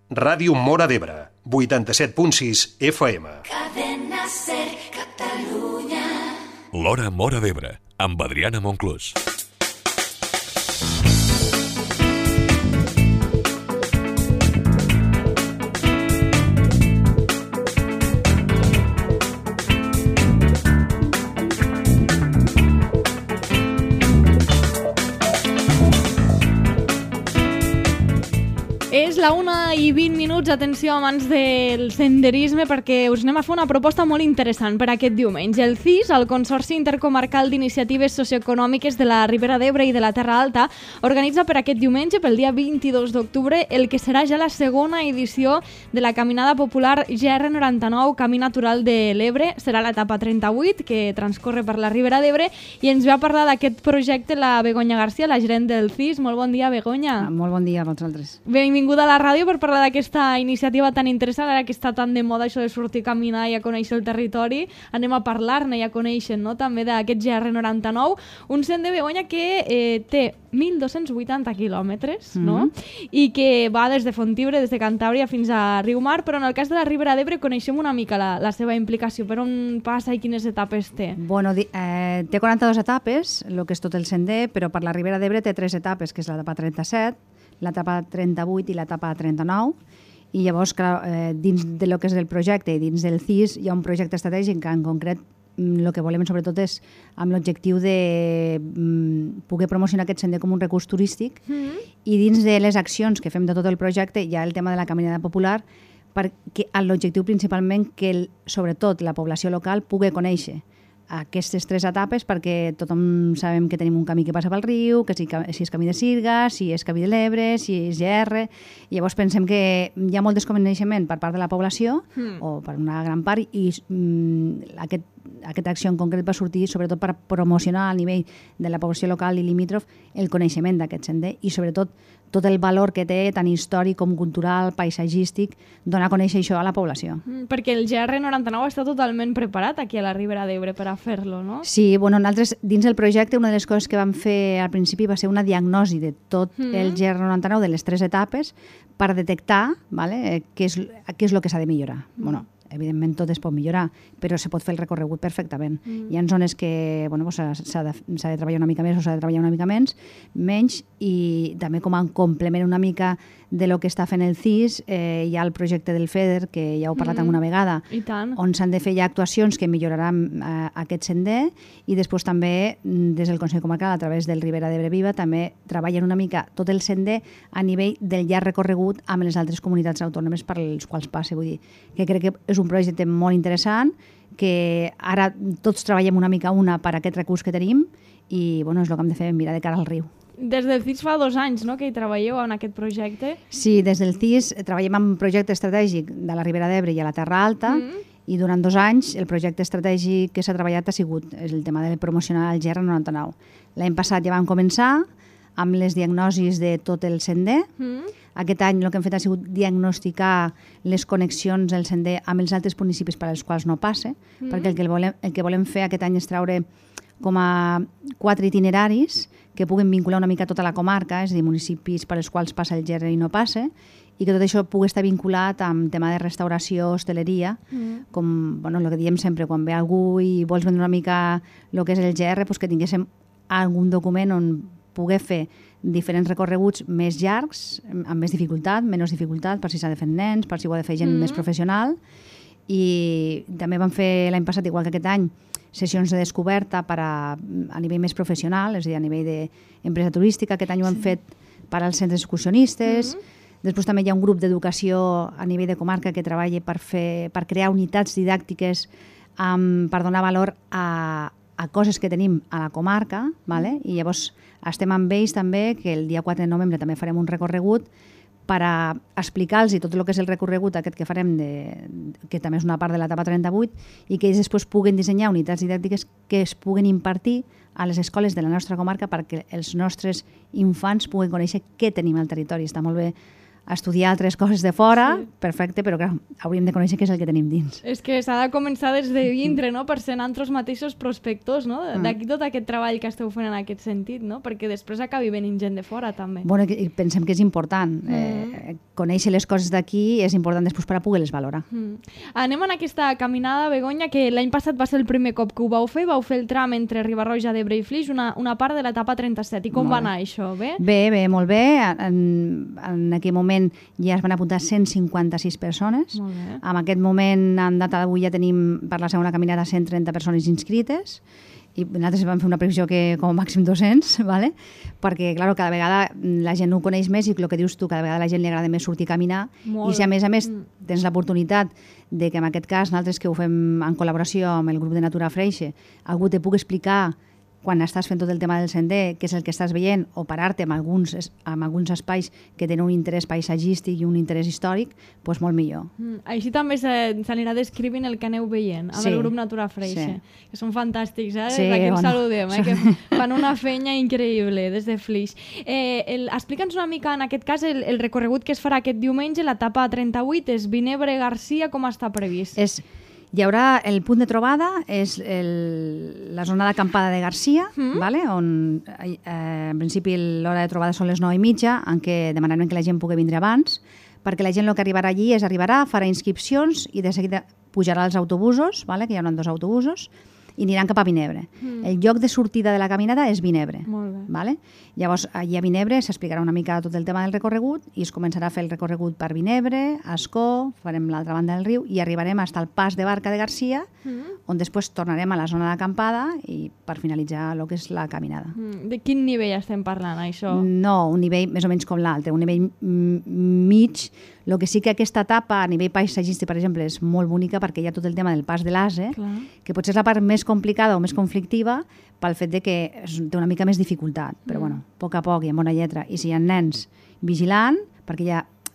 Ràdio Móra d'Ebre, 87.6 FM. Cadena Ser, Catalunya. L'Hora Móra d'Ebre, amb Adriana Monclús. És la 1:20, atenció, amants del senderisme, perquè us anem a fer una proposta molt interessant per aquest diumenge. El CIS, el Consorci Intercomarcal d'Iniciatives Socioeconòmiques de la Ribera d'Ebre i de la Terra Alta, organitza per aquest diumenge, pel dia 22 d'octubre, el que serà ja la segona edició de la Caminada Popular GR99, Camí Natural de l'Ebre. Serà l'etapa 38, que transcorre per la Ribera d'Ebre, i ens ve a parlar d'aquest projecte la Begoña García, la gerent del CIS. Molt bon dia, Begoña. Molt bon dia a vosaltres. Benvinguda a la ràdio per parlar d'aquesta iniciativa tan interessant, ara que està tan de moda això de sortir a caminar i a conèixer el territori. Anem a parlar-ne i a conèixer, no?, també d'aquest GR99, un sender, Begoña, que té 1.280 quilòmetres, no? I que va des de Fontibra, des de Cantàbria fins a Riumar, però en el cas de la Ribera d'Ebre coneixem una mica la seva implicació. Per on passa i quines etapes té? Bueno, té 42 etapes, el que és tot el sender, però per la Ribera d'Ebre té 3 etapes, que és l'etapa 37, l'etapa 38 i l'etapa 39, i llavors, clar, dins de lo que és el projecte i dins del CIS hi ha un projecte estratègic que en concret el que volem sobretot és amb l'objectiu de poder promocionar aquest sender com un recurs turístic, i dins de les accions que fem de tot el projecte hi ha el tema de la caminada popular, perquè l'objectiu principalment que sobretot la població local pugui conèixer aquestes 3 etapes, perquè tothom sabem que tenim un camí que passa pel riu, que si és camí de Sirga, si és camí de l'Ebre, si és GR, i llavors pensem que hi ha molt desconeixement per part de la població, o per una gran part, i aquesta acció en concret va sortir sobretot per promocionar a nivell de la població local i limítrof el coneixement d'aquest sender, i sobretot tot el valor que té, tant històric com cultural, paisatgístic, donar a conèixer això a la població. Perquè el GR99 està totalment preparat aquí a la Ribera d'Ebre per a fer-lo, no? Sí, bueno, nosaltres dins del projecte una de les coses que vam fer al principi va ser una diagnosi de tot el GR99, de les 3 etapes, per detectar, vale, què és el que s'ha de millorar. Bueno, evidentment tot es pot millorar, però se pot fer el recorregut perfectament. Hi ha zones que bueno, s'ha de treballar una mica més o s'ha de treballar una mica menys, i també com a complement una mica de lo que està fent el CIS, hi ha el projecte del FEDER, que ja heu parlat alguna vegada, on s'han de fer ja actuacions que milloraran aquest sender, i després també des del Consell Comarcal, a través del Ribera d'Ebre Viva, també treballen una mica tot el sender a nivell del llarg recorregut amb les altres comunitats autònomes per les quals passa. Vull dir que crec que és un projecte molt interessant, que ara tots treballem una mica per aquest recurs que tenim, i bueno, és el que hem de fer, mirar de cara al riu. Des del CIS fa 2 anys, no?, que hi treballeu en aquest projecte. Sí, des del CIS treballem en un projecte estratègic de la Ribera d'Ebre i a la Terra Alta, i durant 2 anys el projecte estratègic que s'ha treballat ha sigut el tema de promocionar el GR99. L'any passat ja vam començar amb les diagnosis de tot el sender. Aquest any el que hem fet ha sigut diagnosticar les connexions del sender amb els altres municipis per als quals no passa, perquè el que volem fer aquest any és treure com a 4 itineraris que puguen vincular una mica tota la comarca, és a dir, municipis per als quals passa el GR i no passa, i que tot això pugui estar vinculat amb tema de restauració, hostaleria, com bueno, el que diem sempre, quan ve algú i vols vendre una mica el que és el GR, doncs que tinguéssim algun document on poder fer diferents recorreguts més llargs, amb més dificultat, menys dificultat, per si s'ha de fer nens, per si ho ha de fer gent més professional. I també vam fer l'any passat, igual que aquest any, sessions de descoberta a nivell més professional, és a dir, a nivell d'empresa turística. Aquest any ho hem fet per als centres excursionistes. Després també hi ha un grup d'educació a nivell de comarca que treballa per crear unitats didàctiques per donar valor a coses que tenim a la comarca, vale? I llavors estem amb ells també, que el dia 4 de novembre també farem un recorregut per a explicar-los tot el que és el recorregut aquest que farem, que també és una part de l'etapa 38, i que ells després puguen dissenyar unitats didàctiques que es puguen impartir a les escoles de la nostra comarca perquè els nostres infants puguen conèixer què tenim al territori. Està molt bé estudiar altres coses de fora, perfecte, però clar, hauríem de conèixer què és el que tenim dins. És que s'ha de començar des de dintre, no? Per ser nosaltres mateixos prospectors, no? D'aquí tot aquest treball que esteu fent en aquest sentit, no? Perquè després acabi venint gent de fora, també. Bueno, pensem que és important. Conèixer les coses d'aquí és important després per a poder-les valorar. Anem en aquesta caminada, Begoña, que l'any passat va ser el primer cop que ho vau fer el tram entre Riba-roja d'Ebre i Flix, una part de l'etapa 37. I com va anar això? Bé? Bé, molt bé. En aquell moment ja es van apuntar 156 persones. Molt bé. En aquest moment, en data d'avui, ja tenim per la segona caminada 130 persones inscrites i nosaltres vam fer una previsió que com a màxim 200, ¿vale? Perquè clar, cada vegada la gent ho coneix més i el que dius tu, cada vegada a la gent li agrada més sortir a caminar. Molt. I si a més tens l'oportunitat de que en aquest cas, nosaltres que ho fem en col·laboració amb el grup de Natura Freixe, algú te pugui explicar quan estàs fent tot el tema del sender, què és el que estàs veient, o parar-te en alguns espais que tenen un interès paisatgístic i un interès històric, doncs molt millor. Així també s'anirà descrivint el que aneu veient amb el grup Natura Freixe, que són fantàstics, Sí, d'aquí ens bueno. saludem, que fan una feina increïble des de Flix. Explica'ns una mica, en aquest cas, el recorregut que es farà aquest diumenge, l'etapa 38, és Vinebre-Garcia, com està previst? Hi haurà el punt de trobada, és la zona d'acampada de Garcia, ¿vale? On en principi l'hora de trobada són les 9:30, en què demanarem que la gent pugui vindre abans, perquè la gent el que arribarà allí farà inscripcions i de seguida pujarà als autobusos, ¿vale? Que hi haurà 2 autobusos, i aniran cap a Vinebre. El lloc de sortida de la caminada és Vinebre. Molt bé. ¿Vale? Llavors, allà a Vinebre s'explicarà una mica tot el tema del recorregut i es començarà a fer el recorregut per Vinebre, Ascó, farem l'altra banda del riu i arribarem fins al pas de barca de Garcia, on després tornarem a la zona d'acampada i per finalitzar el que és la caminada. De quin nivell estem parlant, això? No, un nivell més o menys com l'altre, un nivell mig. El que sí que aquesta etapa a nivell paisatgístic, per exemple, és molt bonica perquè hi ha tot el tema del pas de l'Ase, que potser és la part més complicada o més conflictiva pel fet de que té una mica més dificultat, però bueno, a poc i amb bona lletra. I si hi ha nens vigilant, perquè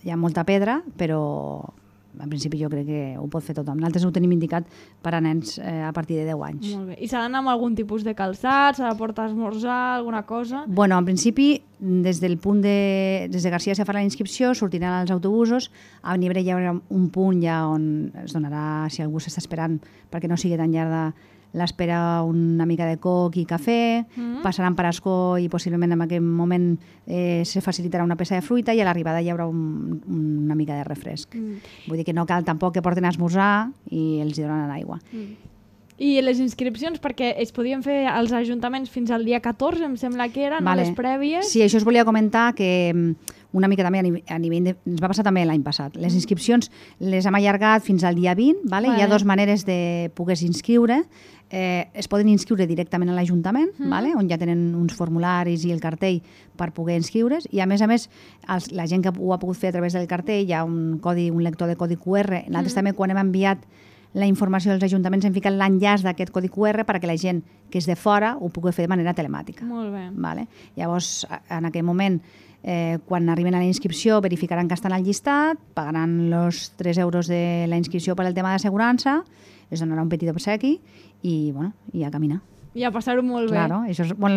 hi ha molta pedra, però en principi jo crec que ho pot fer tothom. Nosaltres ho tenim indicat per a nens a partir de 10 anys. Molt bé. I s'ha d'anar amb algun tipus de calçat? S'ha de portar esmorzar, alguna cosa? Bueno, en principi, des de Garcia se farà la inscripció, sortiran els autobusos, a Vinebre hi haurà un punt ja on es donarà, si algú s'està esperant, perquè no sigui tan llarga l'espera, una mica de coc i cafè, passaran per Ascó i possiblement en aquell moment se facilitarà una peça de fruita i a l'arribada hi haurà una mica de refresc. Vull dir que no cal tampoc que porten a esmorzar i els donen aigua. I les inscripcions, perquè es podien fer als ajuntaments fins al dia 14, em sembla que eren, les prèvies. Sí, això us volia comentar que una mica també a nivell ens va passar també l'any passat. Les inscripcions les hem allargat fins al dia 20, ¿vale? Hi ha 2 maneres de poder-se inscriure. Es poden inscriure directament a l'Ajuntament, ¿vale? On ja tenen uns formularis i el cartell per poder inscriure's, i a més, la gent que ho ha pogut fer a través del cartell hi ha un lector de codi QR. Nosaltres també, quan hem enviat la informació als ajuntaments, hem ficat l'enllaç d'aquest codi QR perquè la gent que és de fora ho pugui fer de manera telemàtica. Molt bé. Vale? Llavors, en aquell moment, quan arriben a la inscripció, verificaran que estan al llistat, pagaran els 3 euros de la inscripció per al tema d'assegurança, es donarà un petit obsequi i, bueno, i a caminar. I a passar-ho molt bé. Claro,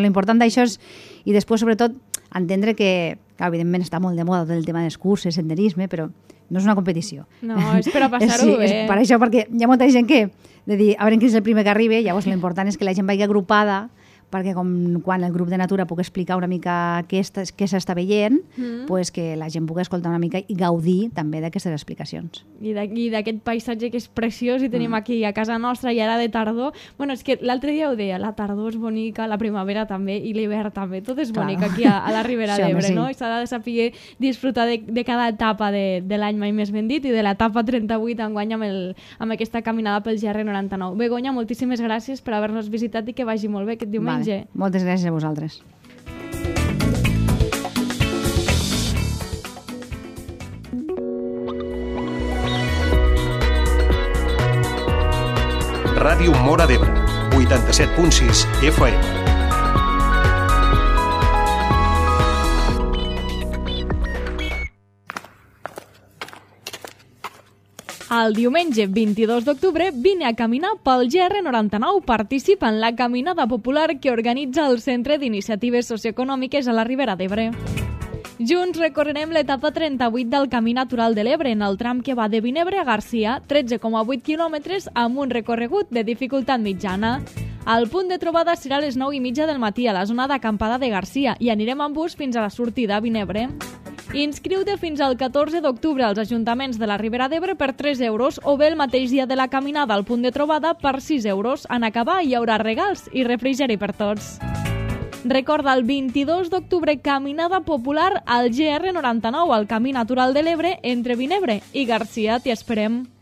l'important d'això és, i després, sobretot, entendre que, evidentment, està molt de moda el tema dels curses, senderisme, però no és una competició. No, és per a passar-ho bé. És per això, perquè hi ha molta gent que de dir, a veure qui és el primer que arribi, llavors l'important és que la gent vagi agrupada, perquè quan el grup de Natura pugui explicar una mica què s'està veient, pues que la gent pugui escoltar una mica i gaudir també d'aquestes explicacions. I d'aquest paisatge que és preciós i tenim aquí a casa nostra i ara de tardor. Bueno, és que l'altre dia ho deia, la tardor és bonica, la primavera també i l'hivern també, tot és bonic aquí a la Ribera d'Ebre, no? I s'ha de saber disfrutar de cada etapa de l'any, mai més ben dit, i de l'etapa 38 enguany amb aquesta caminada pel GR99. Begoña, moltíssimes gràcies per haver-nos visitat i que vagi molt bé aquest diumenge. Vale. Moltes gràcies a vosaltres. Ràdio Móra d'Ebre, 87.6 FM. El diumenge 22 d'octubre vine a caminar pel GR99. Participa en la caminada popular que organitza el Centre d'Iniciatives Socioeconòmiques a la Ribera d'Ebre. Junts recorrerem l'etapa 38 del Camí Natural de l'Ebre, en el tram que va de Vinebre a Garcia, 13,8 quilòmetres amb un recorregut de dificultat mitjana. El punt de trobada serà a les 9:30 del matí a la zona d'acampada de Garcia i anirem amb bus fins a la sortida a Vinebre. Inscriu-te fins al 14 d'octubre als ajuntaments de la Ribera d'Ebre per 3 euros o bé el mateix dia de la caminada al punt de trobada per 6 euros. En acabar hi haurà regals i refrigeri per tots. Recorda, el 22 d'octubre, caminada popular al GR99, al Camí Natural de l'Ebre, entre Vinebre i Garcia. T'hi esperem.